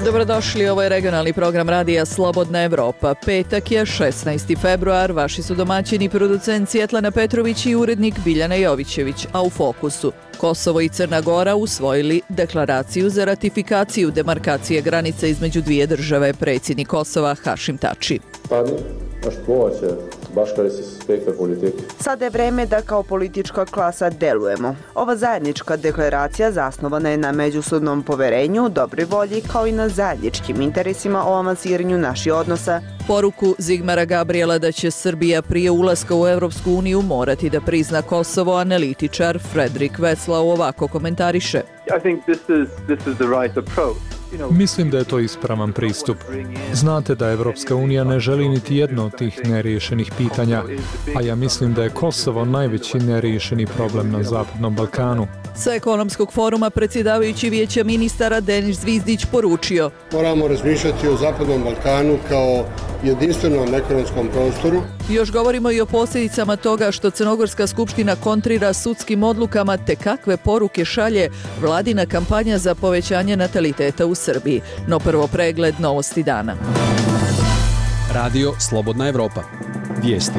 Dobrodošli, ovo je regionalni program radija Slobodna Evropa. Petak je 16. februar, vaši su domaćini producent Svjetlana Petrović i urednik Biljana Jovićević, a u fokusu Kosovo i Crna Gora usvojili deklaraciju za ratifikaciju demarkacije granice između dvije države, predsjednik Kosova Hašim Tači. Sada je vreme da kao politička klasa delujemo. Ova zajednička deklaracija zasnovana je na međusobnom poverenju, dobroj volji kao i na zajedničkim interesima o avansiranju naših odnosa. Poruku Zigmara Gabriela da će Srbija prije ulaska u Evropsku uniju morati da prizna Kosovo, analitičar Fredrik Veslau ovako komentariše. Mislim da je to ispravan pristup. Znate da Evropska unija ne želi niti jedno od tih neriješenih pitanja, a ja mislim da je Kosovo najveći neriješeni problem na Zapadnom Balkanu. Sa ekonomskog foruma predsjedavajući Vijeća ministara Denis Zvizdić poručio: moramo razmišljati o Zapadnom Balkanu kao jedinstvenom ekonomskom prostoru. Još govorimo i o posljedicama toga što Crnogorska skupština kontrira sudskim odlukama, te kakve poruke šalje vladina kampanja za povećanje nataliteta u Srbiji. No prvo pregled novosti dana. Radio Slobodna Evropa. Vijesti.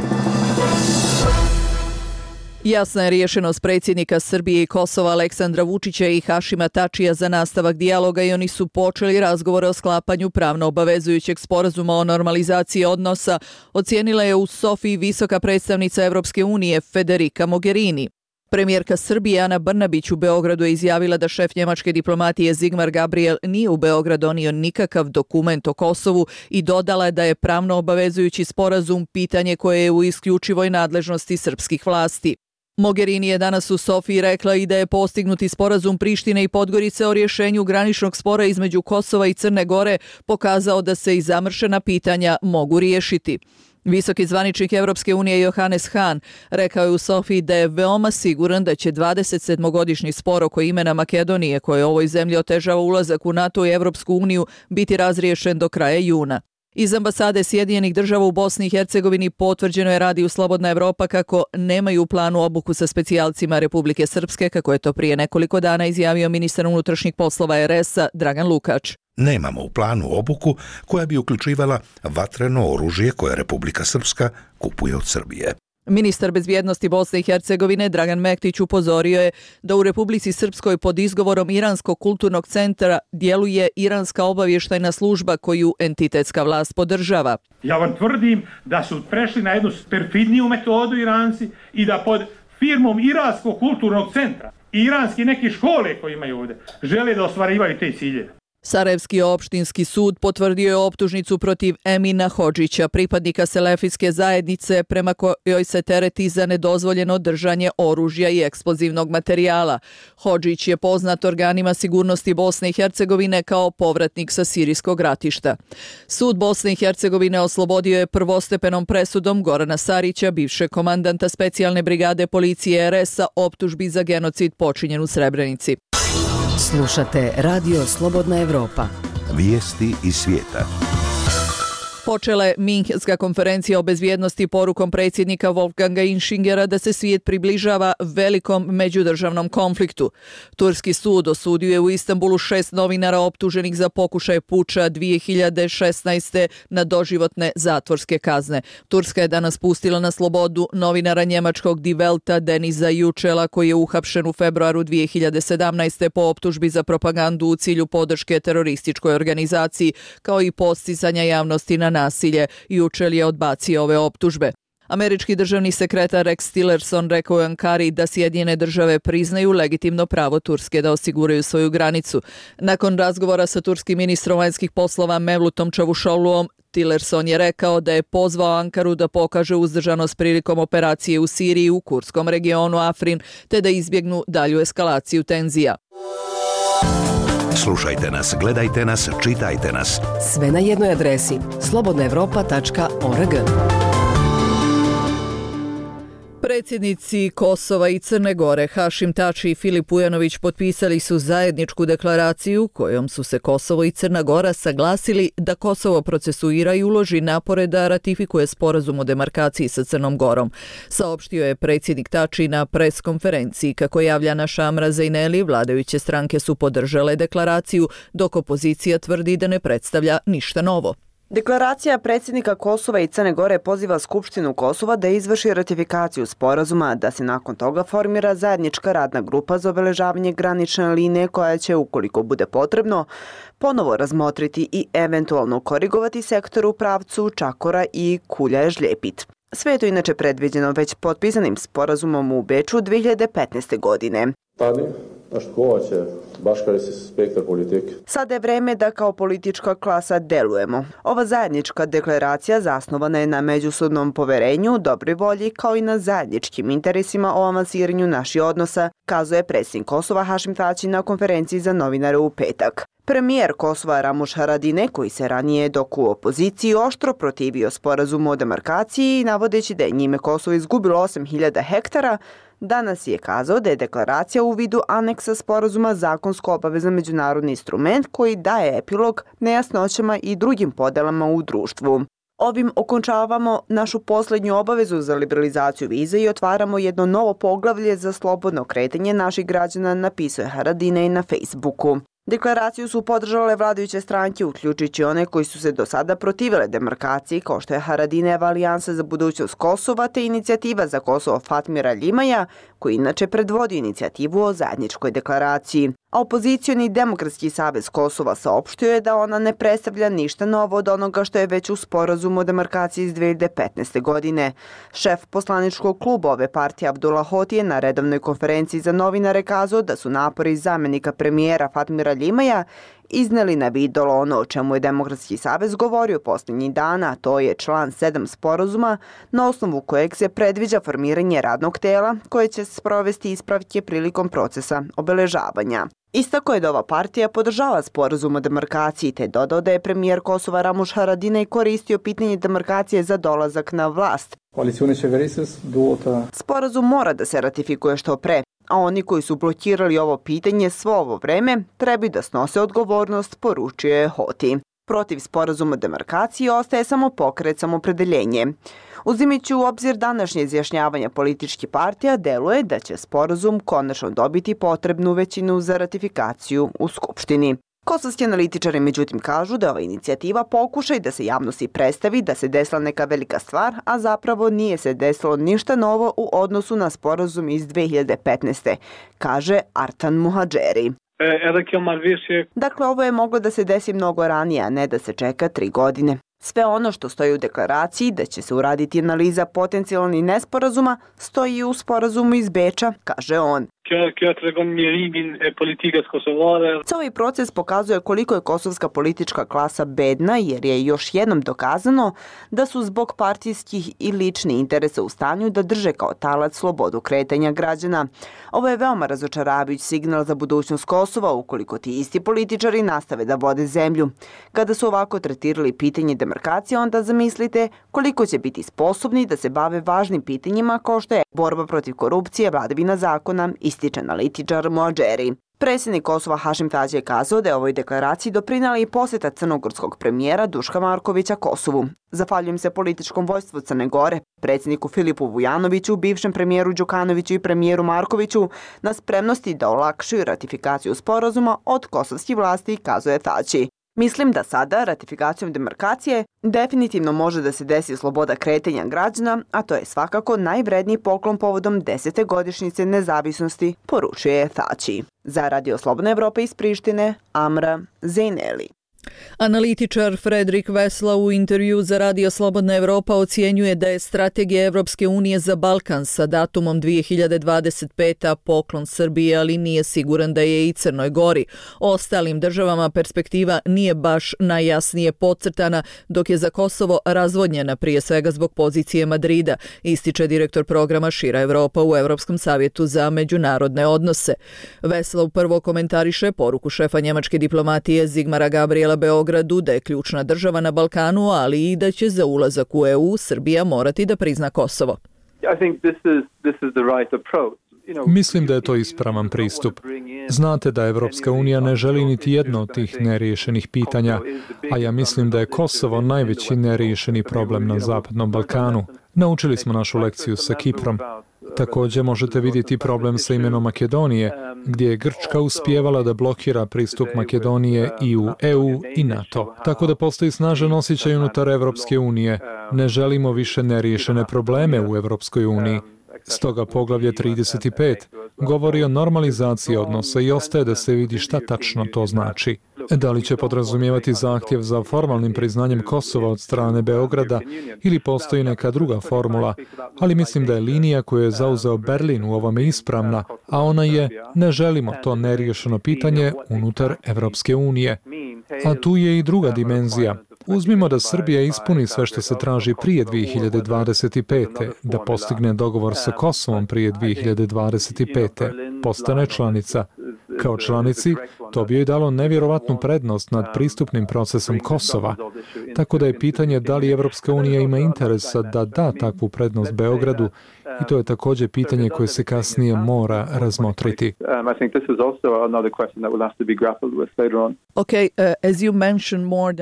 Jasna je rješenost predsjednika Srbije i Kosova Aleksandra Vučića i Hašima Tačija za nastavak dijaloga i oni su počeli razgovore o sklapanju pravno obavezujućeg sporazuma o normalizaciji odnosa, ocijenila je u Sofiji visoka predstavnica Evropske unije Federica Mogherini. Premijerka Srbije Ana Brnabić u Beogradu je izjavila da šef njemačke diplomatije Zigmar Gabriel nije u Beograd donio nikakav dokument o Kosovu i dodala je da je pravno obavezujući sporazum pitanje koje je u isključivoj nadležnosti srpskih vlasti. Mogherini je danas u Sofiji rekla i da je postignuti sporazum Prištine i Podgorice o rješenju graničnog spora između Kosova i Crne Gore pokazao da se i zamršena pitanja mogu riješiti. Visoki zvaničnik Evropske unije Johannes Hahn rekao je u Sofiji da je veoma siguran da će 27-godišnji spor oko imena Makedonije, koje ovoj zemlji otežava ulazak u NATO i Evropsku uniju, biti razriješen do kraja juna. Iz ambasade Sjedinjenih država u Bosni i Hercegovini potvrđeno je radiju Slobodna Evropa kako nemaju u planu obuku sa specijalcima Republike Srpske, kako je to prije nekoliko dana izjavio ministar unutrašnjih poslova RS-a Dragan Lukač. Nemamo u planu obuku koja bi uključivala vatreno oružje koje Republika Srpska kupuje od Srbije. Ministar bezbjednosti Bosne i Hercegovine Dragan Mektić upozorio je da u Republici Srpskoj pod izgovorom Iranskog kulturnog centra djeluje iranska obavještajna služba koju entitetska vlast podržava. Ja vam tvrdim da su prešli na jednu perfidniju metodu Iranci i da pod firmom Iranskog kulturnog centra i iranski neke škole koje imaju ovdje žele da ostvarivaju te ciljeve. Sarajevski opštinski sud potvrdio je optužnicu protiv Emina Hodžića, pripadnika selefijske zajednice prema kojoj se tereti za nedozvoljeno držanje oružja i eksplozivnog materijala. Hodžić je poznat organima sigurnosti Bosne i Hercegovine kao povratnik sa sirijskog ratišta. Sud Bosne i Hercegovine oslobodio je prvostepenom presudom Gorana Sarića, bivšeg komandanta specijalne brigade policije RS-a, optužbi za genocid počinjen u Srebrenici. Slušate Radio Slobodna Evropa. Vijesti iz svijeta. Počela je Minhenska konferencija o bezbjednosti porukom predsjednika Wolfganga Inschingera da se svijet približava velikom međudržavnom konfliktu. Turski sud osudio je u Istanbulu 6 novinara optuženih za pokušaj puča 2016. na doživotne zatvorske kazne. Turska je danas pustila na slobodu novinara njemačkog Die Welta Denisa Yücela koji je uhapšen u februaru 2017. po optužbi za propagandu u cilju podrške terorističkoj organizaciji kao i postizanja javnosti na nasilje. Yücel je odbacio ove optužbe. Američki državni sekretar Rex Tillerson rekao je Ankari da Sjedinjene države priznaju legitimno pravo Turske da osiguraju svoju granicu. Nakon razgovora sa turskim ministrom vanjskih poslova Mevlutom Čavuşoğluom, Tillerson je rekao da je pozvao Ankaru da pokaže uzdržanost prilikom operacije u Siriji u kurdskom regionu Afrin, te da izbjegnu dalju eskalaciju tenzija. Slušajte nas, gledajte nas, čitajte nas. Sve na jednoj adresi slobodnaevropa.org. Predsjednici Kosova i Crne Gore Hašim Tači i Filip Ujanović potpisali su zajedničku deklaraciju kojom su se Kosovo i Crna Gora saglasili da Kosovo procesuira i uloži napore da ratifikuje sporazum o demarkaciji sa Crnom Gorom. Saopštio je predsjednik Tači na pres konferenciji. Kako javlja naša Amra Zejneli, vladajuće stranke su podržale deklaraciju, dok opozicija tvrdi da ne predstavlja ništa novo. Deklaracija predsjednika Kosova i Crne Gore poziva Skupštinu Kosova da izvrši ratifikaciju sporazuma, da se nakon toga formira zajednička radna grupa za obeležavanje granične linije koja će, ukoliko bude potrebno, ponovo razmotriti i eventualno korigovati sektor u pravcu Čakora i Kulja-Žljepit. Sve je to inače predviđeno već potpisanim sporazumom u Beču 2015. godine. Sada je vreme da kao politička klasa delujemo. Ova zajednička deklaracija zasnovana je na međusobnom poverenju, dobroj volji kao i na zajedničkim interesima o avansiranju naših odnosa, kazuje predsjednik Kosova Hašim Tači na konferenciji za novinare u petak. Premijer Kosova Ramuš Haradinaj, koji se ranije dok u opoziciji oštro protivio sporazumu o demarkaciji, navodeći da je njime Kosovo izgubilo 8.000 hektara, danas je kazao da je deklaracija u vidu aneksa sporazuma zakonsko obavezan međunarodni instrument koji daje epilog nejasnoćama i drugim podelama u društvu. Ovim okončavamo našu posljednju obavezu za liberalizaciju vize i otvaramo jedno novo poglavlje za slobodno kretanje naših građana, napisao je Haradinaj na Facebooku. Deklaraciju su podržale vladajuće stranke, uključujući one koji su se do sada protivile demarkaciji, kao što je Haradinajeva alijansa za budućnost Kosova te inicijativa za Kosovo Fatmira Ljimaja, koji inače predvodi inicijativu o zajedničkoj deklaraciji. A opozicioni Demokratski savez Kosova saopštio je da ona ne predstavlja ništa novo od onoga što je već u sporazumu o demarkaciji iz 2015. godine. Šef poslaničkog kluba ove partije Abdullah Hoti je na redovnoj konferenciji za novinare kazao da su napori zamenika premijera Fatmira Ljimaja izneli na vidjelo ono o čemu je Demokratski savez govorio posljednjih dana, a to je član 7 sporazuma na osnovu kojeg se predviđa formiranje radnog tela koje će sprovesti ispravke prilikom procesa obeležavanja. Istako je da ova partija podržava sporazum o demarkaciji te dodao da je premijer Kosova Ramuš Haradinaj koristio pitanje demarkacije za dolazak na vlast. Sporazum mora da se ratifikuje što pre, a oni koji su blokirali ovo pitanje svo ovo vreme trebaju da snose odgovornost, poručio je Hoti. Protiv sporazuma o demarkaciji ostaje samo pokret Samopredeljenje. Uzimajući u obzir današnje izjašnjavanja političkih partija, deluje da će sporazum konačno dobiti potrebnu većinu za ratifikaciju u Skupštini. Kosovski analitičari međutim kažu da je ova inicijativa pokušaj da se javnosti predstavi da se desila neka velika stvar, a zapravo nije se desilo ništa novo u odnosu na sporazum iz 2015. kaže Artan Muhadžeri. Dakle, ovo je moglo da se desi mnogo ranije, a ne da se čeka 3 godine. Sve ono što stoji u deklaraciji da će se uraditi analiza potencijalnih nesporazuma stoji u sporazumu iz Beča, kaže on. Ovaj proces pokazuje koliko je kosovska politička klasa bedna jer je još jednom dokazano da su zbog partijskih i ličnih interesa u stanju da drže kao talac slobodu kretanja građana. Ovo je veoma razočaravajući signal za budućnost Kosova ukoliko ti isti političari nastave da vode zemlju. Kada su ovako tretirali pitanje demarkacije, onda zamislite koliko će biti sposobni da se bave važnim pitanjima kao što je borba protiv korupcije, vladavina zakona, ističe analitičar Muadžeri. Predsjednik Kosova Hašim Tači je kazao da je ovoj deklaraciji doprinela i posjeta crnogorskog premijera Duška Markovića Kosovu. Zahvaljujem se političkom vojstvu Crne Gore, predsjedniku Filipu Vujanoviću, bivšem premijeru Đukanoviću i premijeru Markoviću na spremnosti da olakšaju ratifikaciju sporazuma od kosovskih vlasti, kazuje Tači. Mislim da sada, ratifikacijom demarkacije, definitivno može da se desi sloboda kretanja građana, a to je svakako najvredniji poklon povodom 10. godišnjice nezavisnosti, poručuje Tači. Za Radio Slobodna Evropa iz Prištine, Amra Zejneli. Analitičar Fredrik Vesla u intervju za Radio Slobodna Evropa ocjenjuje da je strategija Evropske unije za Balkan sa datumom 2025. poklon Srbiji, ali nije siguran da je i Crnoj Gori. Ostalim državama perspektiva nije baš najjasnije podcrtana, dok je za Kosovo razvodnjena prije svega zbog pozicije Madrida, ističe direktor programa Šira Evropa u Evropskom savjetu za međunarodne odnose. Vesla uprvo komentariše poruku šefa njemačke diplomatije Zigmara Gabriela Beogradu da je ključna država na Balkanu, ali i da će za ulazak u EU Srbija morati da prizna Kosovo. Mislim da je to ispravan pristup. Znate da Evropska unija ne želi niti jedno od tih neriješenih pitanja, a ja mislim da je Kosovo najveći neriješeni problem na Zapadnom Balkanu. Naučili smo našu lekciju sa Kiprom. Također možete vidjeti problem sa imenom Makedonije, gdje je Grčka uspijevala da blokira pristup Makedonije i u EU i NATO. Tako da postoji snažan osjećaj unutar Evropske unije. Ne želimo više neriješene probleme u Evropskoj uniji. Stoga poglavlje 35 govori o normalizaciji odnosa i ostaje da se vidi šta tačno to znači. Da li će podrazumijevati zahtjev za formalnim priznanjem Kosova od strane Beograda ili postoji neka druga formula, ali mislim da je linija koju je zauzeo Berlin u ovome ispravna, a ona je ne želimo to neriješeno pitanje unutar Evropske unije. A tu je i druga dimenzija. Uzmimo da Srbija ispuni sve što se traži prije 2025. da postigne dogovor sa Kosovom prije 2025. postane članica. Kao članici, to bi joj dalo nevjerovatnu prednost nad pristupnim procesom Kosova. Tako da je pitanje da li Evropska unija ima interesa da da takvu prednost Beogradu i to je također pitanje koje se kasnije mora razmotriti.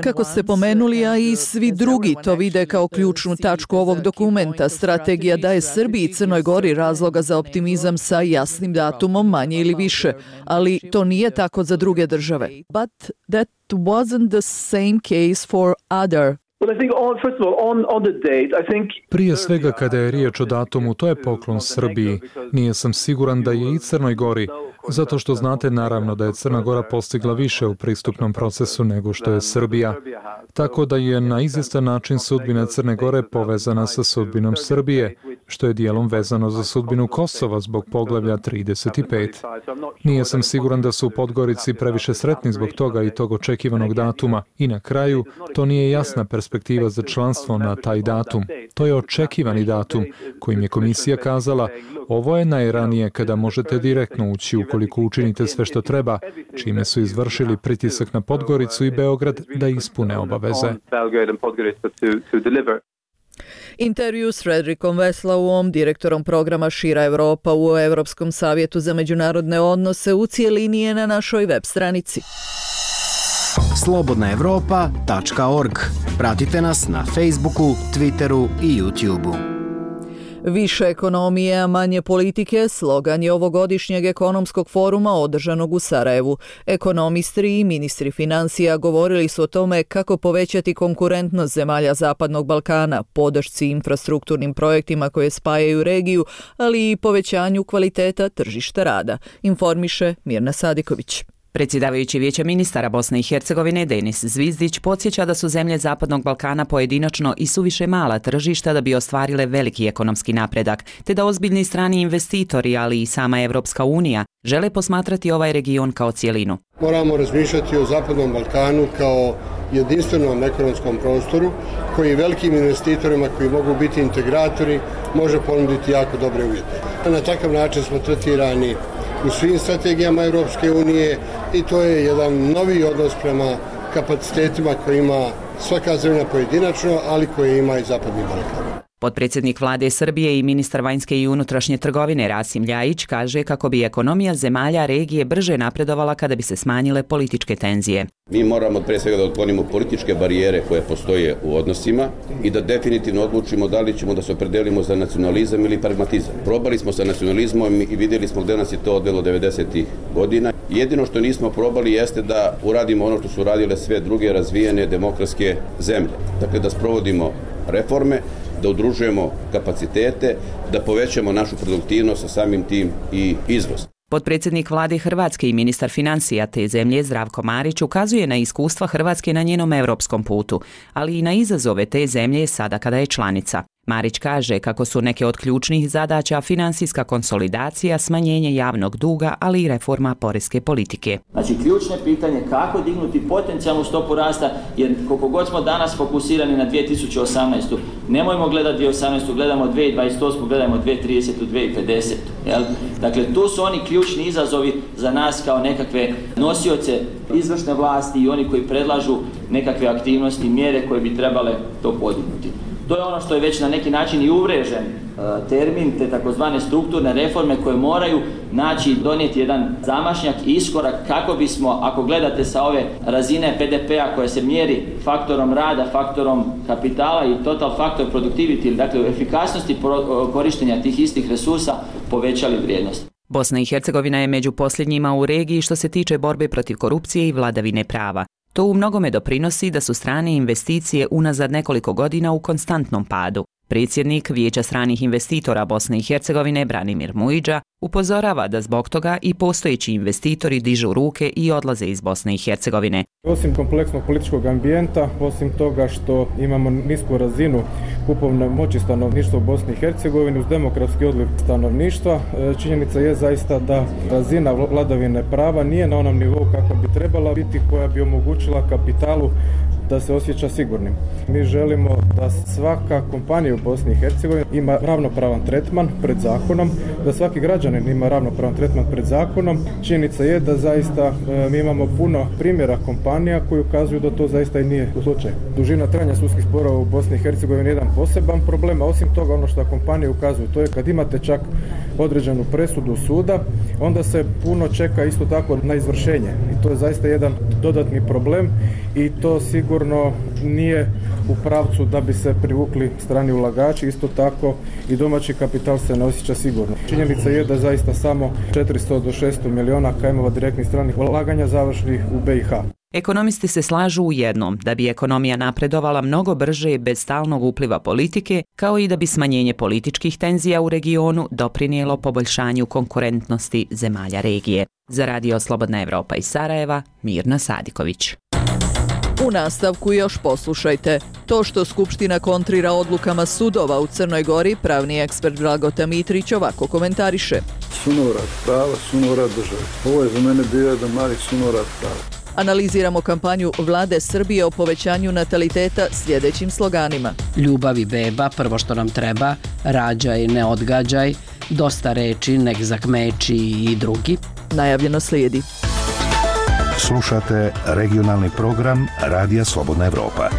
Kako ste pomenuli, a i svi drugi to vide kao ključnu tačku ovog dokumenta, strategija daje Srbiji i Crnoj Gori razloga za optimizam sa jasnim datumom, manje ili više, ali to nije tako za druge države. But that wasn't the same case for other. Prije svega kada je riječ o datumu, to je poklon Srbiji. Nije sam siguran da je i Crnoj Gori, zato što znate naravno da je Crna Gora postigla više u pristupnom procesu nego što je Srbija. Tako da je na izvjestan način sudbina Crne Gore povezana sa sudbinom Srbije, što je dijelom vezano za sudbinu Kosova zbog poglavlja 35. Nije sam siguran da su u Podgorici previše sretni zbog toga i tog očekivanog datuma. I na kraju, to nije jasna perspektiva za članstvo na taj datum. To je očekivani datum kojim je komisija kazala ovo je najranije kada možete direktno ući ukoliko učinite sve što treba, čime su izvršili pritisak na Podgoricu i Beograd da ispune obaveze. Intervju s Frederikom Veslauom, direktorom programa Šira Evropa u Europskom savjetu za međunarodne odnose, u cijelini je na našoj web stranici. slobodnaevropa.org. Pratite nas na Facebooku, Twitteru i YouTubeu. Više ekonomije, a manje politike, slogan je ovogodišnjeg ekonomskog foruma održanog u Sarajevu. Ekonomisti i ministri financija govorili su o tome kako povećati konkurentnost zemalja Zapadnog Balkana, podršci infrastrukturnim projektima koje spajaju regiju, ali i povećanju kvaliteta tržišta rada, informiše Mirna Sadiković. Predsjedavajući Vijeća ministara Bosne i Hercegovine Denis Zvizdić podsjeća da su zemlje Zapadnog Balkana pojedinačno i suviše mala tržišta da bi ostvarile veliki ekonomski napredak, te da ozbiljni strani investitori, ali i sama Evropska unija, žele posmatrati ovaj region kao cjelinu. Moramo razmišljati o Zapadnom Balkanu kao jedinstvenom ekonomskom prostoru koji velikim investitorima koji mogu biti integratori može ponuditi jako dobre uvjete. Na takav način smo tretirani u svim strategijama Europske unije i to je jedan novi odnos prema kapacitetima koje ima svaka zemlja pojedinačno, ali koje ima i Zapadni Balkan. Potpredsjednik vlade Srbije i ministar vanjske i unutrašnje trgovine Rasim Ljajić kaže kako bi ekonomija zemalja regije brže napredovala kada bi se smanjile političke tenzije. Mi moramo pre svega da otklonimo političke barijere koje postoje u odnosima i da definitivno odlučimo da li ćemo da se opredelimo za nacionalizam ili pragmatizam. Probali smo sa nacionalizmom i vidjeli smo gdje nas je to odvelo 90. godina. Jedino što nismo probali jeste da uradimo ono što su radile sve druge razvijene demokratske zemlje. Dakle, da sprovodimo reforme, da udružujemo kapacitete, da povećamo našu produktivnost, a samim tim i izvoz. Potpredsjednik vlade Hrvatske i ministar financija te zemlje Zdravko Marić ukazuje na iskustva Hrvatske na njenom europskom putu, ali i na izazove te zemlje sada kada je članica. Marić kaže kako su neke od ključnih zadaća finansijska konsolidacija, smanjenje javnog duga, ali i reforma poreske politike. Znači, ključno pitanje kako dignuti potencijalnu stopu rasta, jer koliko god smo danas fokusirani na 2018. Nemojmo gledati 2018. Gledamo 2028. Gledamo 2030. 2050. Jel? Dakle, tu su oni ključni izazovi za nas kao nekakve nosioce izvršne vlasti i oni koji predlažu nekakve aktivnosti, mjere koje bi trebale to podignuti. To je ono što je već na neki način i uvrežen termin, te takozvane strukturne reforme koje moraju naći i donijeti jedan zamašnjak i iskorak kako bismo, ako gledate sa ove razine PDP-a koja se mjeri faktorom rada, faktorom kapitala i total faktor productivity, dakle u efikasnosti korištenja tih istih resursa, povećali vrijednost. Bosna i Hercegovina je među posljednjima u regiji što se tiče borbe protiv korupcije i vladavine prava. To u mnogome doprinosi da su strane investicije unazad nekoliko godina u konstantnom padu. Predsjednik Vijeća stranih investitora Bosne i Hercegovine Branimir Mujiđa upozorava da zbog toga i postojeći investitori dižu ruke i odlaze iz Bosne i Hercegovine. Osim kompleksnog političkog ambijenta, osim toga što imamo nisku razinu kupovne moći stanovništva u Bosni i Hercegovini uz demografski odliv stanovništva, činjenica je zaista da razina vladavine prava nije na onom nivou kako bi trebala biti, koja bi omogućila kapitalu da se osjeća sigurnim. Mi želimo da svaka kompanija u Bosni i Hercegovini ima ravnopravan tretman pred zakonom, da svaki građanin ima ravnopravan tretman pred zakonom. Činjenica je da zaista mi imamo puno primjera kompanija koji ukazuju da to zaista i nije slučaj. Dužina trajanja sudskih sporova u Bosni i Hercegovini je jedan poseban problem, a osim toga ono što kompanije ukazuju, to je kad imate čak određenu presudu suda, onda se puno čeka isto tako na izvršenje. I to je zaista jedan dodatni problem i to sigurno nije u pravcu da bi se privukli strani ulagači, isto tako i domaći kapital se ne osjeća sigurno. Činjenica je da zaista samo 400 do 600 miliona kajmova direktnih stranih ulaganja završnih u BiH. Ekonomisti se slažu u jednom, da bi ekonomija napredovala mnogo brže i bez stalnog upliva politike, kao i da bi smanjenje političkih tenzija u regionu doprinijelo poboljšanju konkurentnosti zemalja regije. Za Radio Slobodna Evropa iz Sarajeva, Mirna Sadiković. U nastavku još poslušajte. To što Skupština kontrira odlukama sudova u Crnoj Gori, pravni ekspert Blagota Mitrić ovako komentariše. Sunovrat prava, sunovrat države. Ovo je za mene bio jedan mali sunovrat prava. Analiziramo kampanju vlade Srbije o povećanju nataliteta sljedećim sloganima. Ljubav i beba, prvo što nam treba, rađaj, ne odgađaj, dosta reči, nek zakmeči i drugi. Najavljeno slijedi. Slušate regionalni program Radija Slobodna Evropa.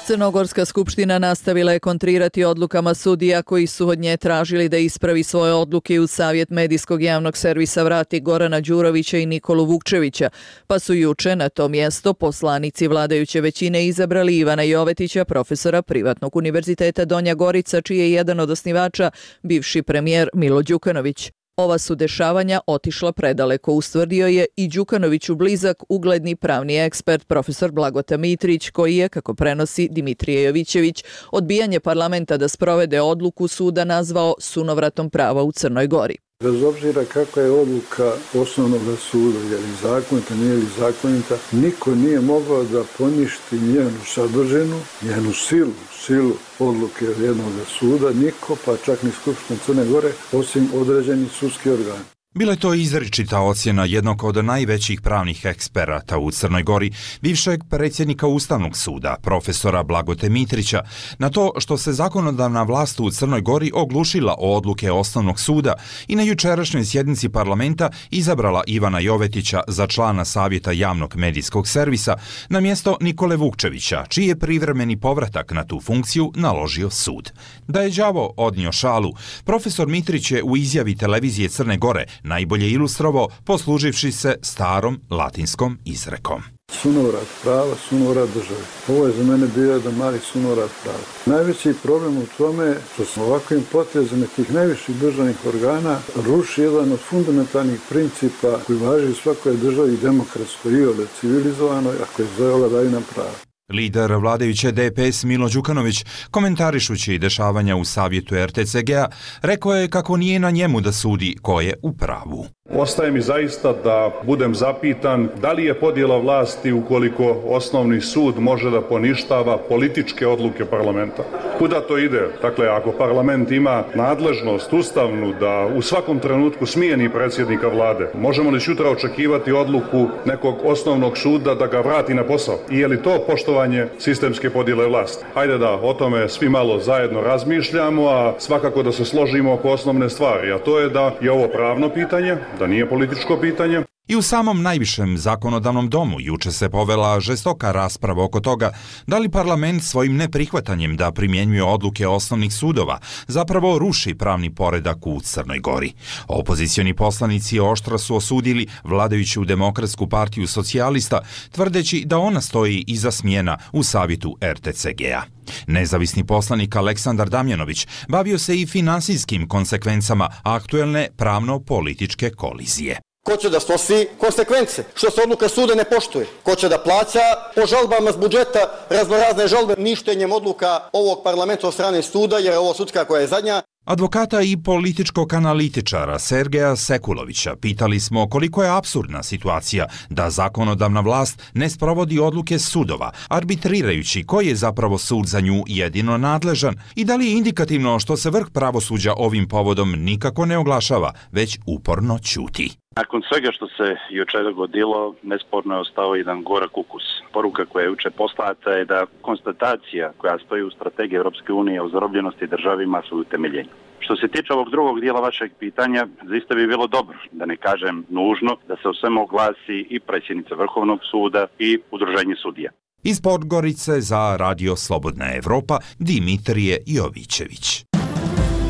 Crnogorska skupština nastavila je kontrirati odlukama sudija koji su od nje tražili da ispravi svoje odluke u Savjet medijskog javnog servisa vrati Gorana Đurovića i Nikolu Vukčevića, pa su juče na to mjesto poslanici vladajuće većine izabrali Ivana Jovetića, profesora Privatnog univerziteta Donja Gorica, čiji je jedan od osnivača bivši premijer Milo Đukanović. Ova su dešavanja otišla predaleko, ustvrdio je i Đukanoviću blizak ugledni pravni ekspert profesor Blagota Mitrić, koji je, kako prenosi Dimitrije Jovićević, odbijanje parlamenta da sprovede odluku suda nazvao sunovratom prava u Crnoj Gori. Bez obzira kakva je odluka osnovnog suda, je li zakonita, nije li zakonita, niko nije mogao da poništi njenu sadržinu, njenu silu odluke jednog suda, niko, pa čak ni Skupština Crne Gore, osim određenih sudskih organa. Bila je to izričita ocjena jednog od najvećih pravnih eksperata u Crnoj Gori, bivšeg predsjednika Ustavnog suda, profesora Blagote Mitrića, na to što se zakonodavna vlast u Crnoj Gori oglušila o odluke Osnovnog suda i na jučerašnjoj sjednici parlamenta izabrala Ivana Jovetića za člana Savjeta javnog medijskog servisa na mjesto Nikole Vukčevića, čiji je privremeni povratak na tu funkciju naložio sud. Da je đavo odnio šalu, profesor Mitrić je u izjavi televizije Crne Gore najbolje ilustrovao posluživši se starom latinskom izrekom. Sunovrat prava, sunovrat države. Ovo je za mene bio jedan mali sunovrat prava. Najveći problem u tome što smo ovakvim potezima tih najviših državnih organa ruši jedan od fundamentalnih principa koji važi u svakoj državi demokratskoj i ovdje civilizovanoj, a koji zove vladavina prava. Lider vladajuće DPS Milo Đukanović, komentarišući dešavanja u savjetu RTCG-a, rekao je kako nije na njemu da sudi ko je u pravu. Ostaje mi zaista da budem zapitan da li je podjela vlasti ukoliko osnovni sud može da poništava političke odluke parlamenta. Kuda to ide? Dakle, ako parlament ima nadležnost ustavnu da u svakom trenutku smijeni predsjednika vlade, možemo li sutra očekivati odluku nekog osnovnog suda da ga vrati na posao? I je li to poštovanje sistemske podjele vlasti? Hajde da o tome svi malo zajedno razmišljamo, a svakako da se složimo oko osnovne stvari, a to je da je ovo pravno pitanje, da nije političko pitanje. I u samom najvišem zakonodavnom domu juče se povela žestoka rasprava oko toga da li parlament svojim neprihvatanjem da primjenjuje odluke osnovnih sudova zapravo ruši pravni poredak u Crnoj Gori. Opozicioni poslanici oštro su osudili vladajuću Demokratsku partiju socijalista, tvrdeći da ona stoji iza smjena u savjetu RTCG-a. Nezavisni poslanik Aleksandar Damjanović bavio se i finansijskim konsekvencama aktuelne pravno-političke kolizije. Ko će da snosi konsekvence što se odluka suda ne poštuje? Ko će da plaća po žalbama s budžeta raznorazne žalbe ništenjem odluka ovog parlamenta od strane suda, jer je ovo sudska koja je zadnja? Advokata i političkog analitičara Sergeja Sekulovića pitali smo koliko je apsurdna situacija da zakonodavna vlast ne sprovodi odluke sudova, arbitrirajući koji je zapravo sud za nju jedino nadležan i da li je indikativno što se vrh pravosuđa ovim povodom nikako ne oglašava, već uporno ćuti. Nakon svega što se jučer dogodilo, nesporno je ostao jedan gorak ukus. Poruka koja je juče poslata je da konstatacija koja stoji u strategiji Europske unije o zarobljenosti države ima svoju utemeljenje. Što se tiče ovog drugog dijela vašeg pitanja, zaista bi bilo dobro, da ne kažem nužno, da se o svemu oglasi i predsjednica Vrhovnog suda i Udruženje sudija. Iz Podgorice za Radio Slobodna Evropa, Dimitrije Jovićević.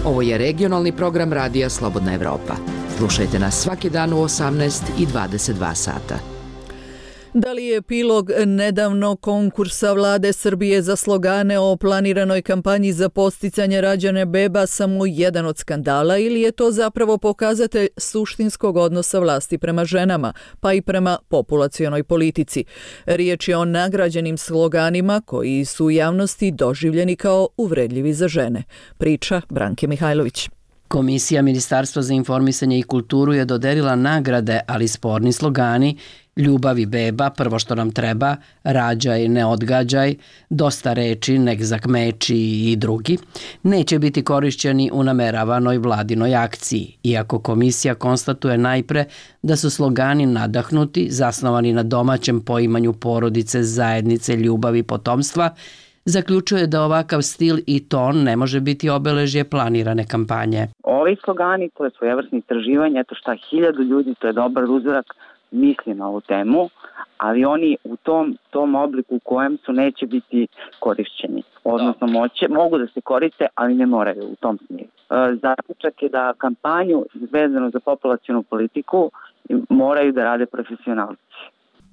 Ovo je regionalni program Radija Slobodna Evropa. Slušajte nas svaki dan u 18 i 22 sata. Da li je epilog nedavnog konkursa Vlade Srbije za slogane o planiranoj kampanji za podsticanje rađanja beba samo jedan od skandala ili je to zapravo pokazatelj suštinskog odnosa vlasti prema ženama, pa i prema populacionoj politici? Riječ je o nagrađenim sloganima koji su u javnosti doživljeni kao uvredljivi za žene. Priča Branke Mihajlović. Komisija Ministarstva za informisanje i kulturu je dodelila nagrade, ali sporni slogani Ljubav i beba, prvo što nam treba, rađaj, ne odgađaj, dosta reči, nek zakmeči i drugi, neće biti korišćeni u nameravanoj vladinoj akciji, iako komisija konstatuje najpre da su slogani nadahnuti, zasnovani na domaćem poimanju porodice, zajednice, ljubavi i potomstva, zaključuje da ovakav stil i ton ne može biti obeležje planirane kampanje. Ovi slogani, to je svojevrsno istraživanje, eto šta 1000 ljudi, to je dobar uzorak, misli na ovu temu, ali oni u tom obliku u kojem su neće biti korišćeni. Odnosno mogu da se koriste, ali ne moraju u tom smjeru. Zaključak je da kampanju vezano za populacionu politiku moraju da rade profesionalci.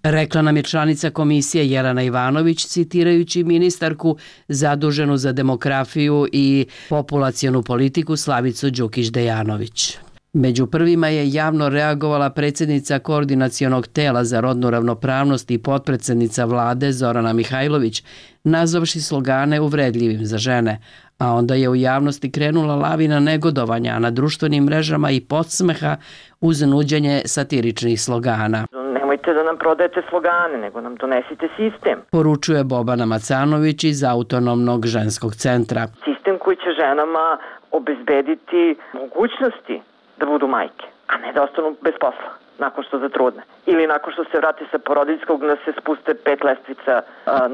Rekla nam je članica komisije Jelena Ivanović, citirajući ministarku zaduženu za demografiju i populacionu politiku Slavicu Đukić-Dejanović. Među prvima je javno reagovala predsjednica Koordinacionog tela za rodnu ravnopravnost i potpredsjednica vlade Zorana Mihajlović, nazvavši slogane uvredljivim za žene, a onda je u javnosti krenula lavina negodovanja, a na društvenim mrežama i podsmeha uz nuđenje satiričnih slogana. Nemojte da nam prodajete slogane, nego nam donesite sistem. Poručuje Bobana Macanović iz Autonomnog ženskog centra. Sistem koji će ženama obezbediti mogućnosti da budu majke, a ne da ostanu bez posla nakon što zatrudne. Ili nakon što se vrate sa porodiljskog da se spuste 5 lestvica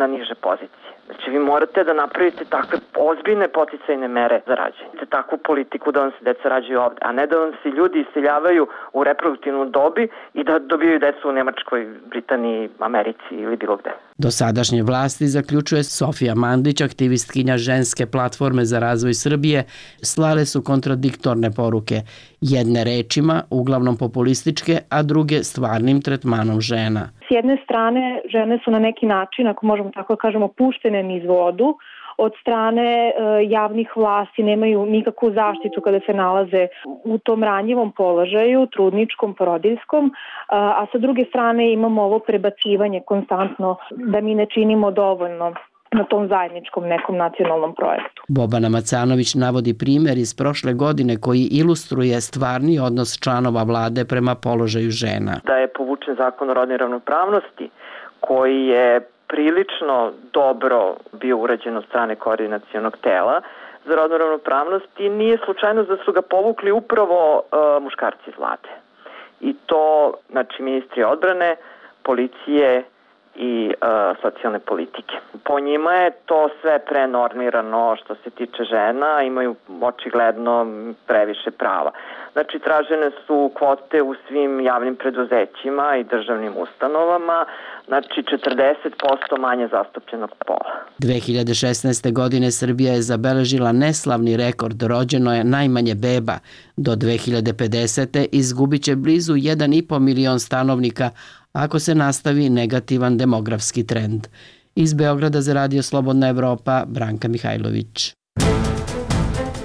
na niže pozicije. Znači vi morate da napravite takve ozbiljne poticajne mere za rađanje. Takvu politiku da vam se deca rađaju ovde, a ne da vam se ljudi iseljavaju u reproduktivnom dobi i da dobijaju decu u Nemačkoj, Britaniji, Americi ili bilo gde. Dosadašnje vlasti, zaključuje Sofija Mandić, aktivistkinja ženske platforme za razvoj Srbije, slale su kontradiktorne poruke. Jedne rečima, uglavnom populističke, a druge stvarnim tretmanom žena. S jedne strane, žene su na neki način, ako možemo tako kažemo, puštene niz vodu. Od strane javnih vlasti nemaju nikakvu zaštitu kada se nalaze u tom ranjivom položaju, trudničkom, porodiljskom, a sa druge strane imamo ovo prebacivanje konstantno da mi ne činimo dovoljno na tom zajedničkom nekom nacionalnom projektu. Bobana Macanović navodi primjer iz prošle godine koji ilustruje stvarni odnos članova vlade prema položaju žena. Da je povučen zakon o rodnoj ravnopravnosti koji je prilično dobro bio urađen od strane koordinacionog tela za rodnu ravnopravnost i nije slučajno da su ga povukli upravo muškarci iz vlade. I to, znači, ministri odbrane, policije i socijalne politike. Po njima je to sve prenormirano što se tiče žena, imaju očigledno previše prava. Znači, tražene su kvote u svim javnim preduzećima i državnim ustanovama, znači 40% manje zastupljenog pola. 2016. godine Srbija je zabeležila neslavni rekord, rođeno je najmanje beba. Do 2050. izgubit će blizu 1,5 milion stanovnika ako se nastavi negativan demografski trend. Iz Beograda za Radio Slobodna Evropa, Branka Mihajlović.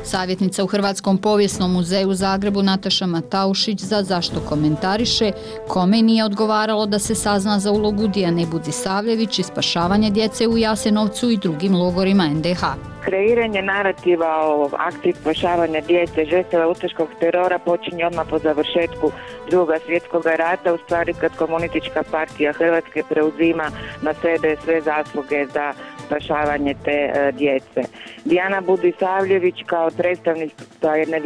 Savjetnica u Hrvatskom povijesnom muzeju u Zagrebu Nataša Mataušić za Zašto komentariše kome nije odgovaralo da se sazna za ulogu Dijane Budisavljević i spašavanje djece u Jasenovcu i drugim logorima NDH. Kreiranje narativa o akciji spašavanja djece žrtava ustaškog terora počinje odmah po završetku Drugog svjetskog rata, u stvari kad Komunistička partija Hrvatske preuzima na sebe sve zasluge za spašavanje te djece. Dijana Budisavljević kao predstavnica jedne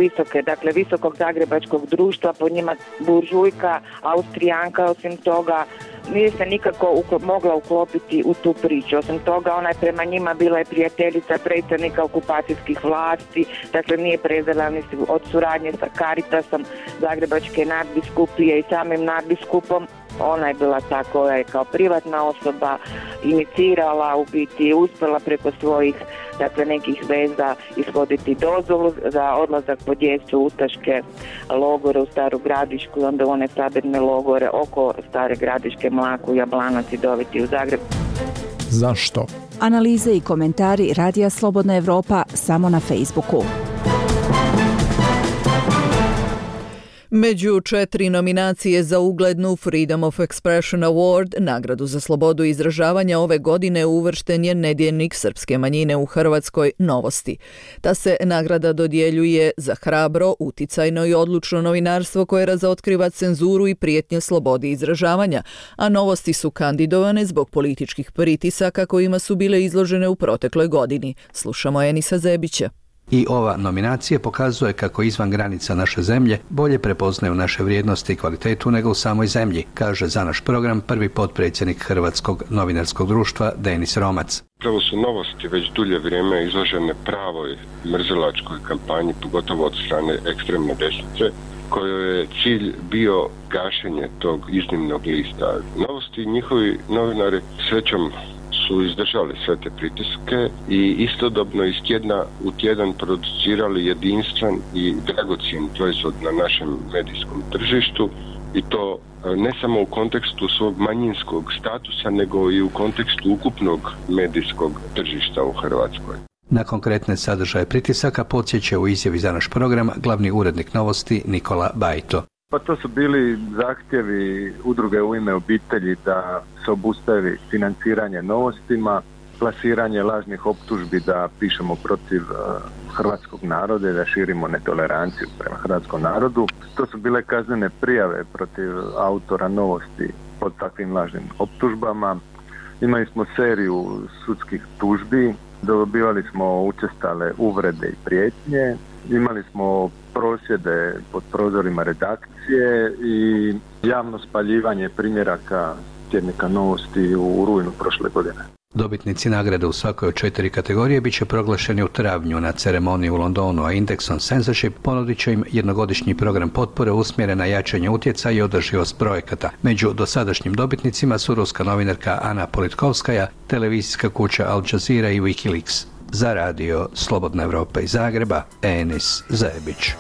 visokog zagrebačkog društva, po njima buržujka, Austrijanka, osim toga nije se nikako mogla uklopiti u tu priču. Osim toga, ona je prema njima bila i prijateljica predstavnika okupacijskih vlasti, dakle nije prezela ni od suradnje sa Caritasom Zagrebačke nadbiskupije i samim nadbiskupom. Ona je bila ta koja je kao privatna osoba inicirala, u biti uspjela preko svojih nekih veza ishoditi dozvolu za odlazak po djecu u ustaške logore u Staru Gradišku i onda one sabirne logore oko Stare Gradiške, Mlaku, Jablanac i doviti u Zagreb. Zašto? Analize i komentari Radija Slobodna Evropa samo na Facebooku. Među 4 nominacije za uglednu Freedom of Expression Award, nagradu za slobodu izražavanja, ove godine uvršten je nedjeljnik srpske manjine u Hrvatskoj Novosti. Ta se nagrada dodjeljuje za hrabro, uticajno i odlučno novinarstvo koje razotkriva cenzuru i prijetnje slobodi izražavanja, a Novosti su kandidovane zbog političkih pritisaka kojima su bile izložene u protekloj godini. Slušamo Enisa Zebića. I ova nominacija pokazuje kako izvan granica naše zemlje bolje prepoznaju naše vrijednosti i kvalitetu nego u samoj zemlji, kaže za naš program prvi potpredsjednik Hrvatskog novinarskog društva Denis Romac. Upravo su Novosti već dulje vrijeme izložene pravoj mrzilačkoj kampanji, pogotovo od strane ekstremne desnice, kojoj je cilj bio gašenje tog iznimnog lista. Novosti i njihovi novinari srećom su izdržali sve te pritiske i istodobno iz tjedna u tjedan producirali jedinstven i dragocjen proizvod na našem medijskom tržištu i to ne samo u kontekstu svog manjinskog statusa, nego i u kontekstu ukupnog medijskog tržišta u Hrvatskoj. Na konkretne sadržaje pritisaka podsjeća u izjavi za naš program glavni urednik Novosti Nikola Bajto. Pa to su bili zahtjevi udruge U ime obitelji da se obustavi financiranje Novostima, plasiranje lažnih optužbi da pišemo protiv hrvatskog naroda i da širimo netoleranciju prema hrvatskom narodu. To su bile kaznene prijave protiv autora Novosti pod takvim lažnim optužbama. Imali smo seriju sudskih tužbi, dobivali smo učestale uvrede i prijetnje, imali smo prosvjede pod prozorima redakcije i javno spaljivanje primjeraka tjednika Novosti u rujnu prošle godine. Dobitnici nagrade u svakoj od 4 kategorije bit će proglašeni u travnju na ceremoniji u Londonu, a Index on Censorship ponudit će im jednogodišnji program potpore usmjeren na jačanje utjecaja i održivost projekata. Među dosadašnjim dobitnicima su ruska novinarka Ana Politkovskaja, televizijska kuća Al Jazeera i Wikileaks. Za radio Slobodna Evropa iz Zagreba, Enis Zebić.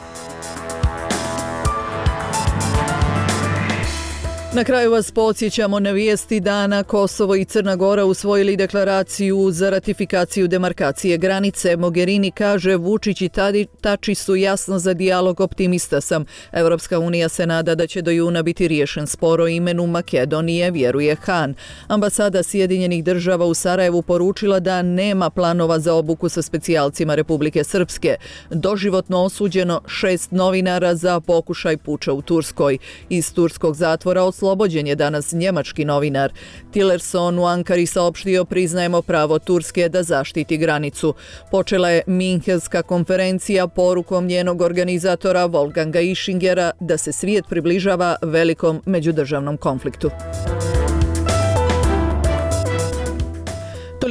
Na kraju vas podsjećamo na vijesti dana. Kosovo i Crna Gora usvojili deklaraciju za ratifikaciju demarkacije granice. Mogherini kaže Vučić i Tači su jasno za dijalog, optimista sam. Europska unija se nada da će do juna biti riješen spor o imenu Makedonije, vjeruje Han. Ambasada Sjedinjenih država u Sarajevu poručila da nema planova za obuku sa specijalcima Republike Srpske. Doživotno osuđeno 6 novinara za pokušaj puča u Turskoj. Iz turskog zatvora oslobođen je danas njemački novinar. Tillerson u Ankari saopštio priznajemo pravo Turske da zaštiti granicu. Počela je Minhenska konferencija porukom njenog organizatora Wolfganga Ischingera da se svijet približava velikom međudržavnom konfliktu.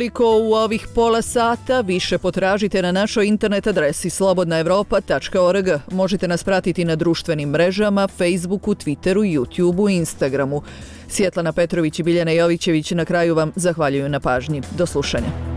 toliko u ovih pola sata. Više potražite na našoj internet adresi slobodnaevropa.org. Možete nas pratiti na društvenim mrežama, Facebooku, Twitteru, YouTubeu i Instagramu. Svjetlana Petrović i Biljana Jovićević na kraju vam zahvaljuju na pažnji. Do slušanja.